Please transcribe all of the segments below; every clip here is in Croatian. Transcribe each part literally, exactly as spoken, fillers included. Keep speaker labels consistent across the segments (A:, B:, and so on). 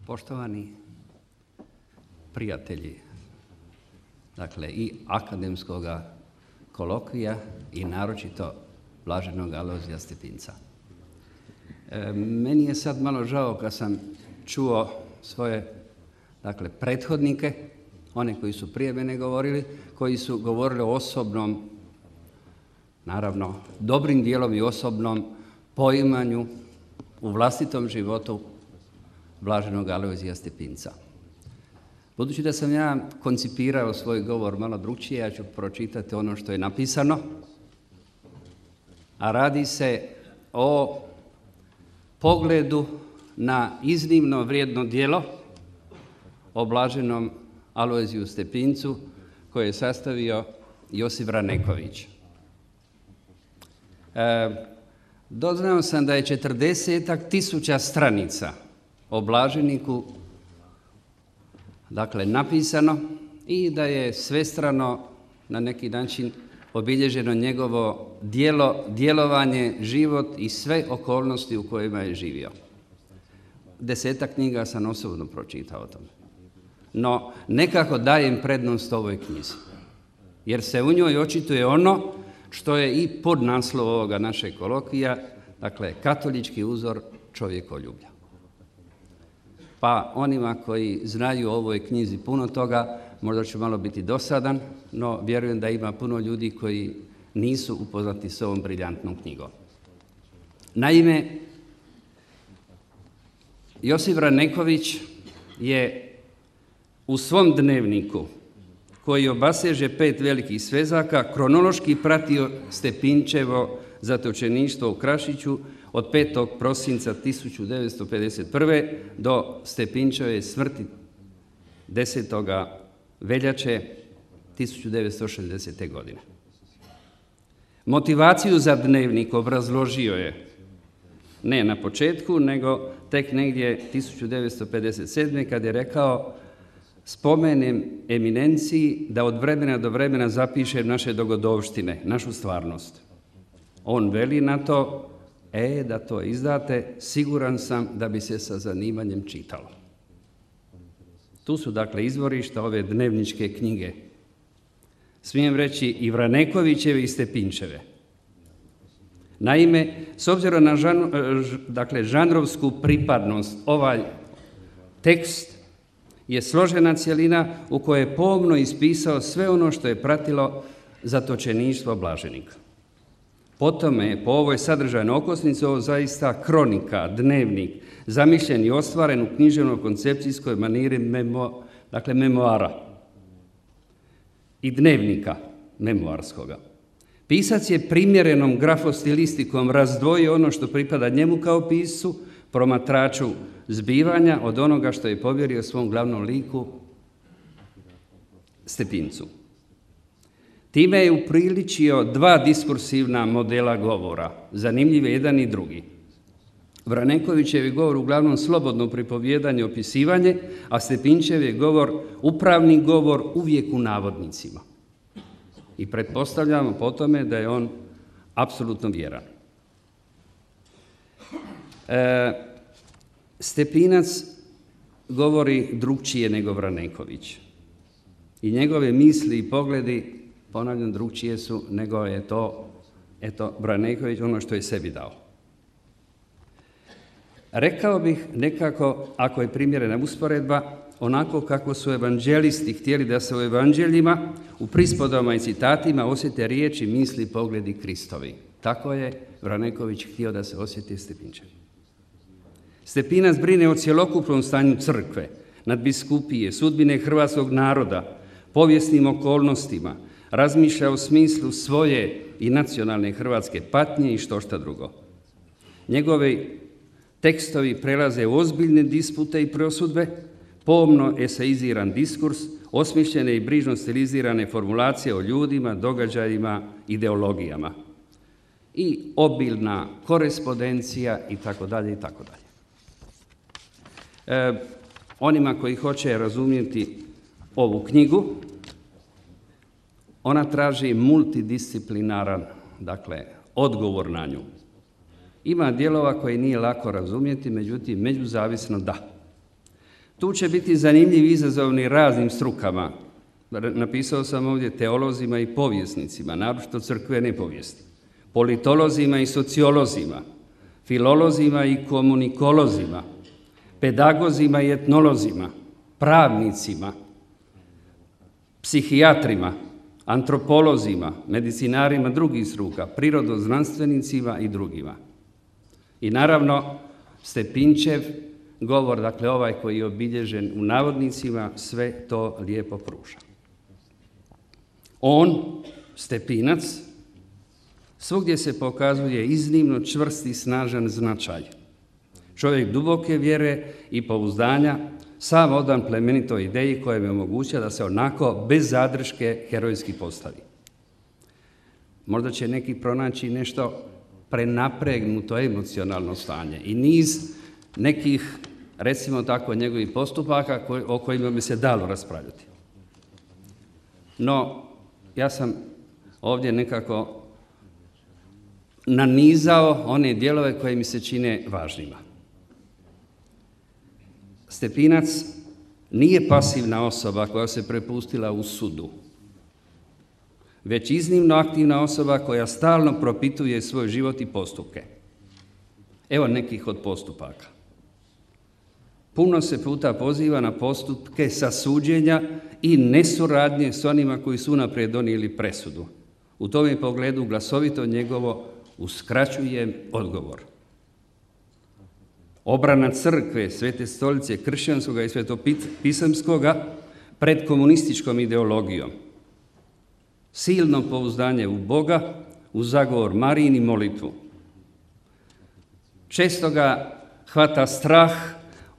A: Poštovani prijatelji, dakle i akademskog kolokvija i naročito blaženog Alojzija Stepinca. E, meni je sad malo žao kad sam čuo svoje dakle, prethodnike, one koji su prije mene govorili, koji su govorili o osobnom, naravno dobrim dijelom i osobnom poimanju u vlastitom životu blaženog Alojzija Stepinca. Budući da sam ja koncipirao svoj govor malo drukčije, ja ću pročitati ono što je napisano, a radi se o pogledu na iznimno vrijedno djelo o blaženom Alojziju Stepincu koje je sastavio Josip Vraneković. E, doznao sam da je četrdesetak tisuća stranica o blaženiku dakle napisano i da je svestrano na neki način obilježeno njegovo djelo, djelovanje, život i sve okolnosti u kojima je živio. Desetak knjiga sam osobno pročitao o tome. No, nekako dajem prednost ovoj knjizi, jer se u njoj očituje ono što je i podnaslov ovoga našeg kolokvija, dakle, katolički uzor čovjekoljublja. Pa onima koji znaju o ovoj knjizi puno toga, možda ću malo biti dosadan, no vjerujem da ima puno ljudi koji nisu upoznati s ovom briljantnom knjigom. Naime, Josip Vraneković je u svom dnevniku, koji obaseže pet velikih svezaka, kronološki pratio Stepinčevo zatočeništvo u Krašiću od petog prosinca tisuću devetsto pedeset prve. do Stepinčeve smrti desetoga veljače tisuću devetsto šezdesete. godine. Motivaciju za dnevnik obrazložio je ne na početku, nego tek negdje tisuću devetsto pedeset sedme. kad je rekao: spomenem eminenciji da od vremena do vremena zapišem naše dogodovštine, našu stvarnost. On veli na to: e, da to izdate, siguran sam da bi se sa zanimanjem čitalo. Tu su dakle izvorišta ove dnevničke knjige. Smijem reći i Vranekovićeve i Stepinčeve. Naime, s obzirom na žan, dakle, žanrovsku pripadnost, ovaj tekst je složena cjelina u kojoj je pomno ispisao sve ono što je pratilo zatočeništvo blaženika. Potom je po ovoj sadržajnoj okosnici ovo zaista kronika, dnevnik, zamišljen i ostvaren u književno-koncepcijskoj maniri memo, dakle memoara i dnevnika memoarskoga. Pisac je primjerenom grafostilistikom razdvojio ono što pripada njemu kao piscu, promatraču zbivanja, od onoga što je povjerio svom glavnom liku Stepincu. Time je upriličio dva diskursivna modela govora, zanimljiv jedan i drugi. Vranekovićev je govor uglavnom slobodno pripovjedanje, opisivanje, a Stepinčev je govor upravni govor, uvijek u navodnicima. I pretpostavljamo po tome da je on apsolutno vjeran. E, Stepinac govori drukčije nego Vraneković. I njegove misli i pogledi, ponavljam, drukčije su nego je to, eto, Vraneković ono što je sebi dao. Rekao bih nekako, ako je primjerena usporedba, onako kako su evanđelisti htjeli da se u evanđeljima, u prispodama i citatima osjete riječi, misli i pogledi Kristovi. Tako je Vraneković htio da se osjeti Stepinčev. Stepinac brine o cjelokupnom stanju crkve, nadbiskupije, sudbine hrvatskog naroda, povijesnim okolnostima, razmišlja o smislu svoje i nacionalne hrvatske patnje i što šta drugo. Njegovi tekstovi prelaze u ozbiljne dispute i prosudbe, pomno eseiziran diskurs, osmišljene i brižno stilizirane formulacije o ljudima, događajima, ideologijama i obilna korespondencija i tako dalje i tako dalje. E, onima koji hoće razumjeti ovu knjigu, ona traži multidisciplinaran, dakle, odgovor na nju. Ima dijelova koje nije lako razumjeti, međutim, međuzavisno da. Tu će biti zanimljivi izazovni raznim strukama. Napisao sam ovdje teolozima i povjesnicima, naročito crkvene povijesti, politolozima i sociolozima, filolozima i komunikolozima, pedagozima i etnolozima, pravnicima, psihijatrima, antropolozima, medicinarima drugih struka, prirodoznanstvenicima i drugima. I naravno, Stepinčev govor, dakle ovaj koji je obilježen u navodnicima, sve to lijepo pruža. On, Stepinac, svugdje se pokazuje iznimno čvrst i snažan značaj. Čovjek duboke vjere i pouzdanja, sam odan plemenitoj ideji koja mi omogućava da se onako bez zadrške herojski postavi. Možda će neki pronaći nešto prenapregnuto emocionalno stanje i niz nekih, recimo tako, njegovih postupaka o kojima bi se dalo raspravljati. No, ja sam ovdje nekako nanizao one dijelove koje mi se čine važnima. Stepinac nije pasivna osoba koja se prepustila u sudu, već iznimno aktivna osoba koja stalno propituje svoj život i postupke. Evo nekih od postupaka. Puno se puta poziva na postupke sasuđenja i nesuradnje s onima koji su unaprijed donijeli presudu. U tome pogledu glasovito njegovo uskraćujem odgovor. Obrana crkve, Svete stolice, kršćanskoga i svetopisamskoga pred komunističkom ideologijom. Silno pouzdanje u Boga, u zagovor Marijin i molitvu. Često ga hvata strah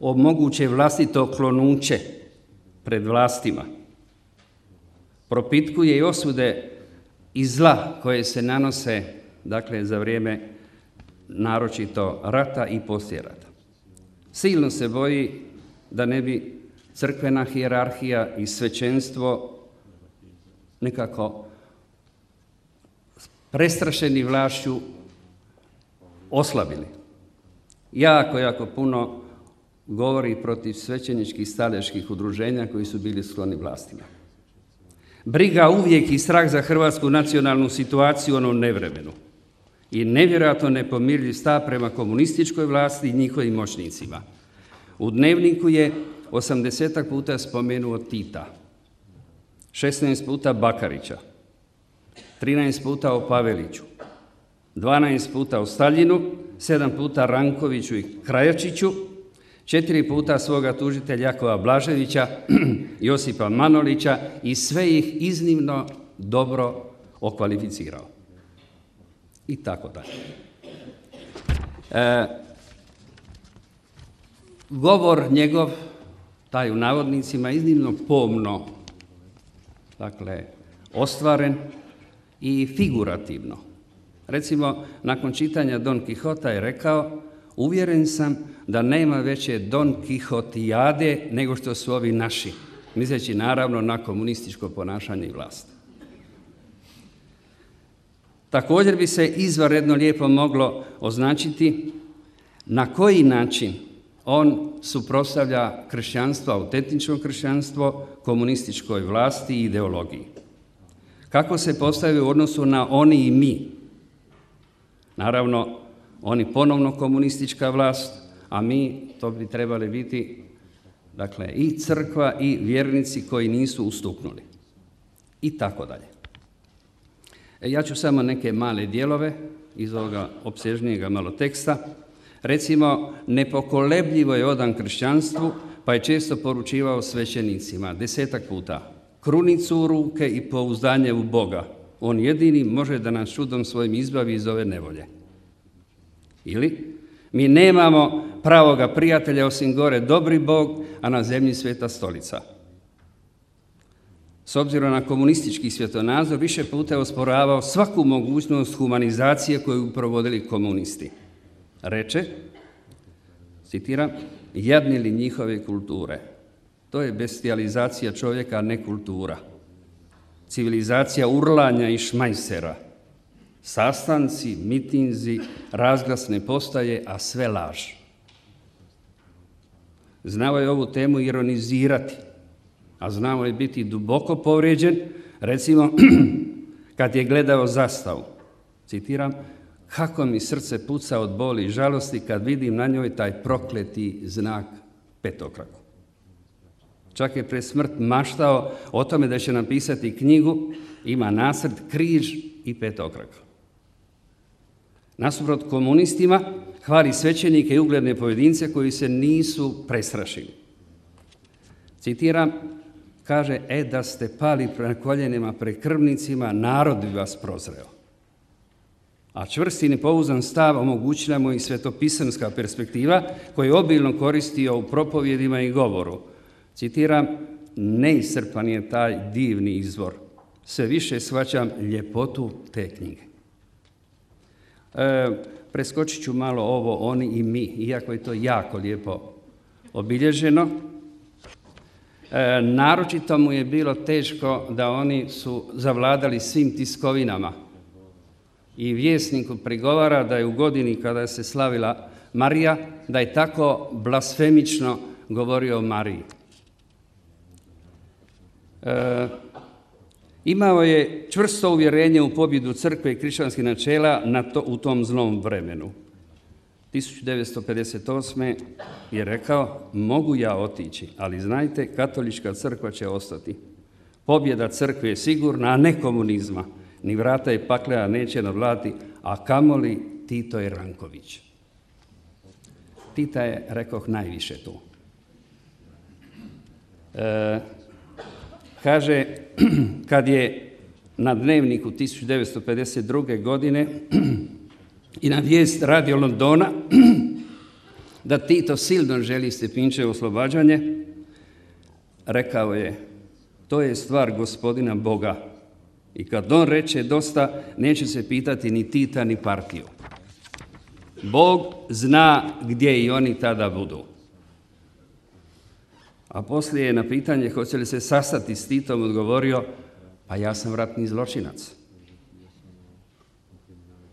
A: o moguće vlastito klonuće pred vlastima. Propitkuje i osude i zla koje se nanose, dakle, za vrijeme naročito rata i poslije rata. Silno se boji da ne bi crkvena hijerarhija i svećenstvo nekako prestrašeni vlašću oslabili. Jako, jako puno govori protiv svećeničkih stadeških udruženja koji su bili skloni vlastima. Briga uvijek i strah za hrvatsku nacionalnu situaciju u onom nevremenu i nevjerojatno nepomirljiv stav prema komunističkoj vlasti i njihovim moćnicima. U dnevniku je osamdesetak puta spomenuo Tita, šesnaest puta Bakarića, trinaest puta o Paveliću, dvanaest puta o Staljinu, sedam puta Rankoviću i Krajačiću, četiri puta svoga tužitelja Jakova Blaževića, Josipa Manolića i sve ih iznimno dobro okvalificirao. I tako dalje. E, govor njegov, taj u navodnicima, iznimno pomno, dakle, ostvaren i figurativno. Recimo, nakon čitanja Don Kihota je rekao: uvjeren sam da nema veće Don Kihotijade nego što su ovi naši, misleći naravno na komunističko ponašanje i vlast. Također bi se izvanredno lijepo moglo označiti na koji način on suprotstavlja kršćanstvo, autentično kršćanstvo, komunističkoj vlasti i ideologiji. Kako se postavio u odnosu na oni i mi? Naravno, oni ponovno komunistička vlast, a mi, to bi trebali biti, dakle, i crkva i vjernici koji nisu ustuknuli. I tako dalje. E, ja ću samo neke male dijelove iz ovoga opsežnijega malo teksta. Recimo, nepokolebljivo je odan kršćanstvu, pa je često poručivao svećenicima, desetak puta, krunicu u ruke i pouzdanje u Boga. On jedini može da nas čudom svojim izbavi iz ove nevolje. Ili, mi nemamo pravoga prijatelja osim gore dobri Bog, a na zemlji Sveta stolica. S obzirom na komunistički svjetonazor, više puta je osporavao svaku mogućnost humanizacije koju provodili komunisti. Reče, citiram, jadni li njihove kulture. To je bestializacija čovjeka, a ne kultura. Civilizacija urlanja i šmajsera. Sastanci, mitinzi, razglasne postaje, a sve laž. Znao je ovu temu ironizirati, a znao je biti duboko povrijeđen, recimo kad je gledao zastavu. Citiram, kako mi srce puca od boli i žalosti kad vidim na njoj taj prokleti znak petokraku. Čak je pred smrt maštao o tome da će napisati knjigu, ima nacrt križ i petokrak. Nasuprot komunistima hvali svećenike i ugledne pojedince koji se nisu prestrašili. Citiram, kaže, e da ste pali na koljenima pred krvnicima, narod bi vas prozreo. A čvrsti i nepouzdan stav omogućila mu i svetopisanska perspektiva koju je obilno koristio u propovjedima i govoru. Citiram, neiscrpan je taj divni izvor. Sve više shvaćam ljepotu te knjige. E, preskočit ću malo ovo, oni i mi, iako je to jako lijepo obilježeno. E, naročito mu je bilo teško da oni su zavladali svim tiskovinama. I vjesniku prigovara da je u godini kada se slavila Marija, da je tako blasfemično govorio o Mariji. E, imao je čvrsto uvjerenje u pobjedu crkve i kršćanskih načela na to, u tom zlom vremenu. tisuću devetsto pedeset osme je rekao, mogu ja otići, ali znajte, katolička crkva će ostati. Pobjeda crkve je sigurna, a ne komunizma. Ni vrata i pakleja neće nadvladati, a kamoli Tito i Ranković. Tita je, rekoh, najviše tu. E, kaže, kad je na Dnevniku tisuću devetsto pedeset druge. godine i na vijest Radio Londona da Tito silno želi Stepinčevo oslobađanje, rekao je, to je stvar gospodina Boga. I kad on reče dosta, neće se pitati ni Tita, ni partiju. Bog zna gdje i oni tada budu. A poslije je na pitanje hoće li se sastati s Titom odgovorio, pa ja sam ratni zločinac.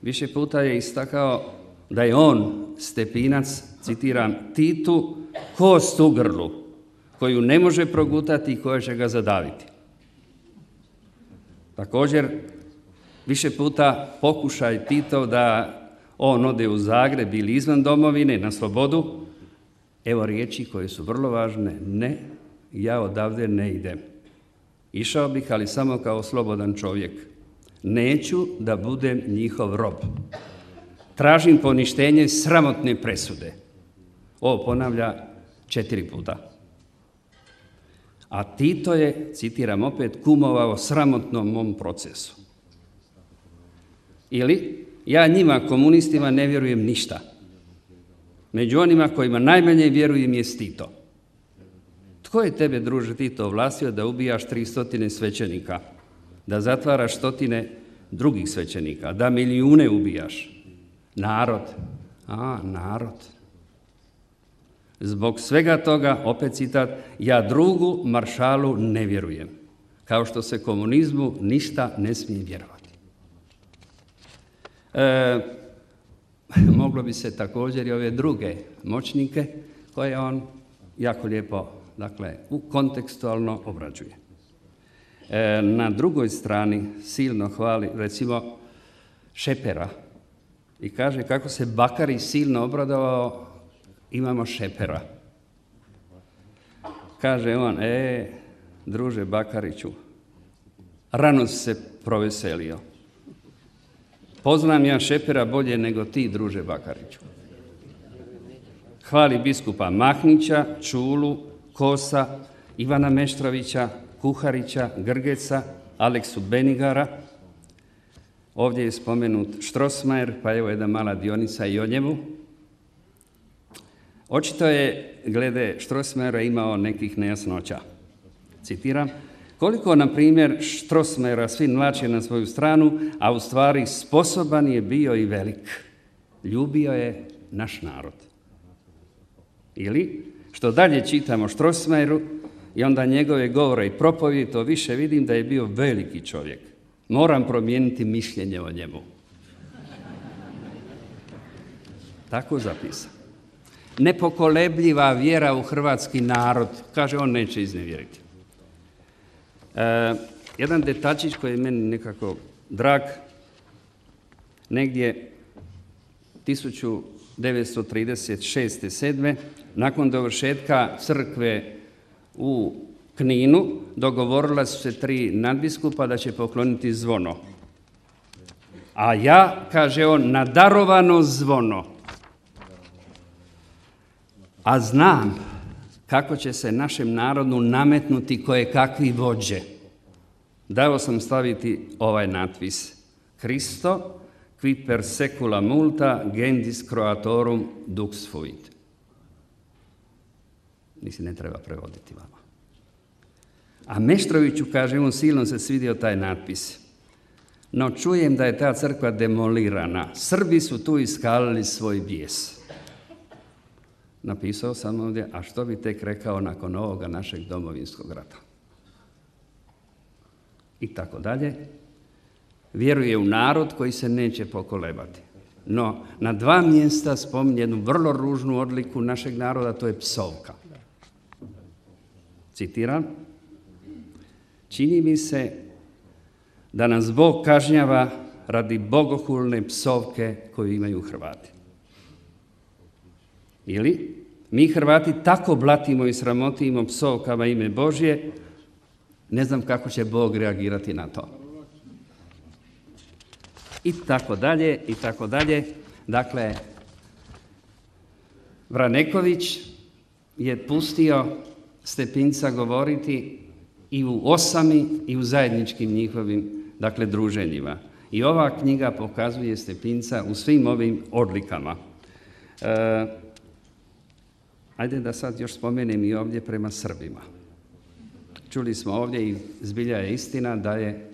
A: Više puta je istakao da je on, Stepinac, citiram, Titu kost u grlu, koju ne može progutati i koja će ga zadaviti. Također, više puta pokušaj Tito da on ode u Zagreb ili izvan domovine na slobodu, evo riječi koje su vrlo važne, ne, ja odavde ne idem. Išao bih, ali samo kao slobodan čovjek. Neću da budem njihov rob. Tražim poništenje sramotne presude. Ovo ponavlja četiri puta. A Tito je, citiram opet, kumovao sramotnom mom procesu. Ili, ja njima, komunistima, ne vjerujem ništa. Među onima kojima najmanje vjerujem je Tito. Tko je tebe, druže Tito, ovlastio da ubijaš tri stotine svećenika, da zatvaraš stotine drugih svećenika, da milijune ubijaš? Narod. A, narod. Zbog svega toga, opet citat, ja drugu maršalu ne vjerujem, kao što se komunizmu ništa ne smije vjerovati. E, moglo bi se također i ove druge moćnike koje on jako lijepo, dakle, u kontekstualno obrađuje. E, na drugoj strani silno hvali, recimo, Šepera i kaže kako se Bakari silno obradovao, imamo Šepera. Kaže on, e, druže Bakariću, rano si se proveselio. Poznam ja Šepera bolje nego ti, druže Bakariću. Hvali biskupa Mahnića, Čulu, Kosa, Ivana Meštrovića, Kuharića, Grgeca, Aleksu Benigara. Ovdje je spomenut Strossmayer, pa evo jedna mala dionica i o njemu. Očito je, glede Strossmayera, imao nekih nejasnoća. Citiram, koliko, na primjer, Strossmayera svi mlače na svoju stranu, a u stvari sposoban je bio i velik. Ljubio je naš narod. Ili, što dalje čitamo Strossmayeru i onda njegove govore i propovjedi, to više vidim da je bio veliki čovjek. Moram promijeniti mišljenje o njemu. Tako zapisam. nepokolebljiva vjera u hrvatski narod. Kaže, on neće iznevjeriti. E, jedan detačić koji je meni nekako drag, negdje tisuću devetsto trideset šeste sedme nakon dovršetka crkve u Kninu, dogovorila su se tri nadbiskupa da će pokloniti zvono. A ja, kaže on, na darovano zvono. A znam kako će se našem narodu nametnuti koje kakvi vođe. Dao sam staviti ovaj natpis. Christo, qui per secula multa gendis croatorum dux fuit. Mislim, ne treba prevoditi vama. A Meštroviću, kaže on, silno se svidio taj natpis. No čujem da je ta crkva demolirana. Srbi su tu iskalili svoj bijes. Napisao sam ovdje, a što bi tek rekao nakon ovoga našeg domovinskog rata? I tako dalje. Vjeruje u narod koji se neće pokolebati. No, na dva mjesta spominje jednu vrlo ružnu odliku našeg naroda, to je psovka. Citiram. Čini mi se da nas Bog kažnjava radi bogohulne psovke koju imaju Hrvati. Ili mi Hrvati tako blatimo i sramotimo psovkama ime Božje, ne znam kako će Bog reagirati na to. I tako dalje, i tako dalje. Dakle, Vraneković je pustio Stepinca govoriti i u osami i u zajedničkim njihovim, dakle, druženjima. I ova knjiga pokazuje Stepinca u svim ovim odlikama. E, ajde da sad još spomenem i ovdje prema Srbima. Čuli smo ovdje i zbilja je istina da je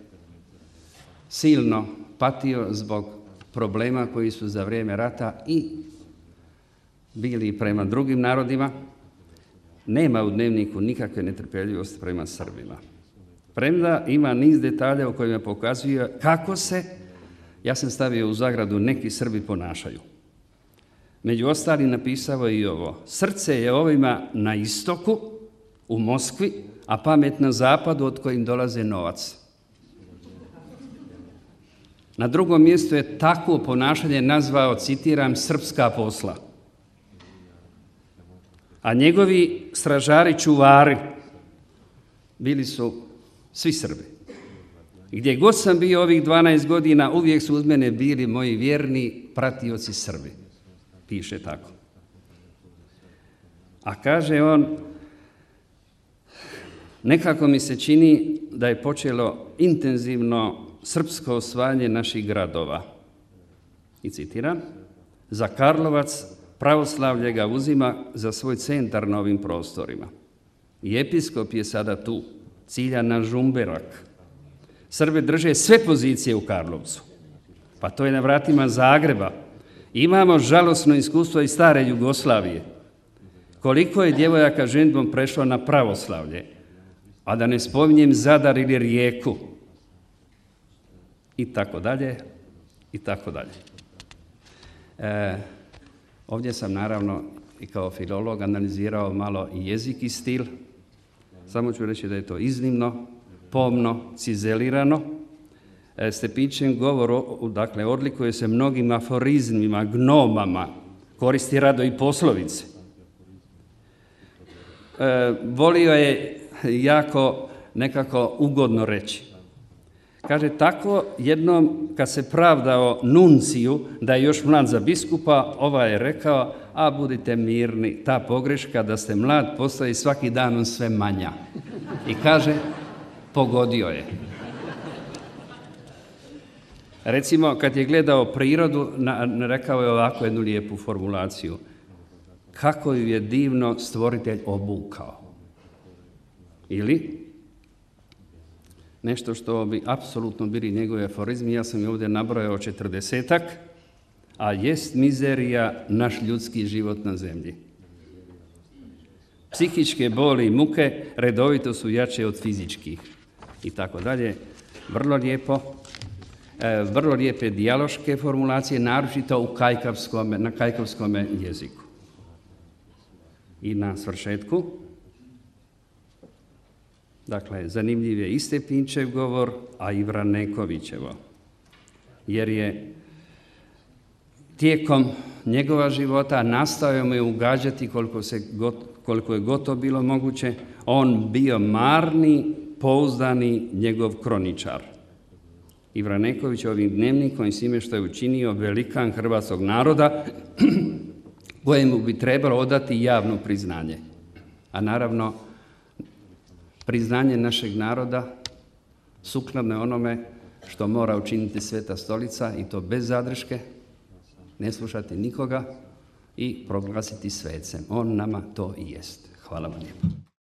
A: silno patio zbog problema koji su za vrijeme rata i bili prema drugim narodima. Nema u dnevniku nikakve netrpeljivosti prema Srbima. Premda ima niz detalja u kojima pokazuje kako se, ja sam stavio u zagradu, neki Srbi ponašaju. Među ostalim napisao i ovo. Srce je ovima na istoku, u Moskvi, a pamet na zapadu od kojim dolaze novac. Na drugom mjestu je takvo ponašanje nazvao, citiram, srpska posla. A njegovi stražari, čuvari, bili su svi Srbi. Gdje god sam bio ovih dvanaest godina, uvijek su uz mene bili moji vjerni pratioci Srbi. Piše tako. A kaže on, nekako mi se čini da je počelo intenzivno srpsko osvajanje naših gradova. I citiram, za Karlovac pravoslavlje ga uzima za svoj centar na ovim prostorima. I episkop je sada tu, cilja na Žumberak. Srbi drže sve pozicije u Karlovcu. Pa to je na vratima Zagreba. Imamo žalosno iskustvo iz stare Jugoslavije. Koliko je djevojaka ženidbom prešlo na pravoslavlje, a da ne spominjem Zadar ili Rijeku. I tako dalje, i tako dalje. E, ovdje sam naravno i kao filolog analizirao malo i jezik i stil. Samo ću reći da je to iznimno, pomno, cizelirano. E, Stepinčin govor, dakle, odlikuje se mnogim aforizmima, gnomama, koristi rado i poslovice. E, volio je jako nekako ugodno reći. Kaže, tako jednom kad se pravdao nunciju da je još mlad za biskupa, ovaj je rekao, a budite mirni, ta pogreška da ste mlad postaje svaki dan sve manja. I kaže, pogodio je. Recimo, kad je gledao prirodu, rekao je ovako jednu lijepu formulaciju. Kako ju je divno stvoritelj obukao. Ili nešto što bi apsolutno bili njegove aforizmi, ja sam je ovdje nabrojao četrdesetak, a jest mizerija naš ljudski život na zemlji. Psihičke boli i muke redovito su jače od fizičkih. I tako dalje. Vrlo lijepo. E, vrlo lijepe dijaloške formulacije, naročito u kajkavskome, na kajkavskome jeziku. I na svršetku, dakle, zanimljiv je i Stepinčev govor, a i Vranekovićevo, jer je tijekom njegova života nastojao mu je ugađati koliko, se, koliko je gotovo bilo moguće, on bio marni, pouzdani njegov kroničar. I Vraneković ovim dnevnikom i svime što je učinio velikan hrvatskog naroda, kojemu bi trebalo odati javno priznanje. A naravno, priznanje našeg naroda sukladno je onome što mora učiniti Sveta Stolica, i to bez zadrške, ne slušati nikoga i proglasiti svecem. On nama to i jest. Hvala vam lijepo.